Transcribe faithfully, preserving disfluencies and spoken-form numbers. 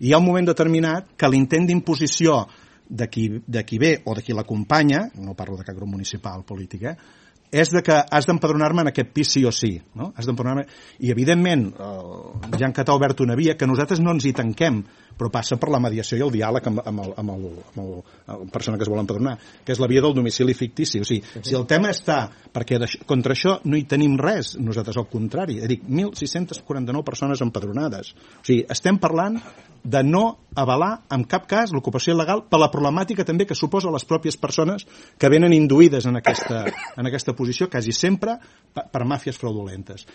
hi ha un moment determinat que l'intent d'imposició de qui, de qui ve o de qui l'acompanya, no parlo de cap grup municipal polític, eh, és de que has d'empadronar-me en aquest pis sí o sí, no? Has d'empadronar-me, i evidentment eh, Jan Catà ha obert una via que nosaltres no ens hi tanquem, però passa per la mediació i el diàleg amb, amb, el, amb, el, amb el, la persona que es vol empadronar, que és la via del domicili fictici. O sigui, si el tema està perquè contra això no hi tenim res, nosaltres al contrari, dic, mil sis-centes quaranta-nou persones empadronades. O sigui, estem parlant de no avalar en cap cas l'ocupació il·legal per la problemàtica també que suposa les pròpies persones que venen induïdes en aquesta, en aquesta posició quasi sempre per, per màfies fraudulentes.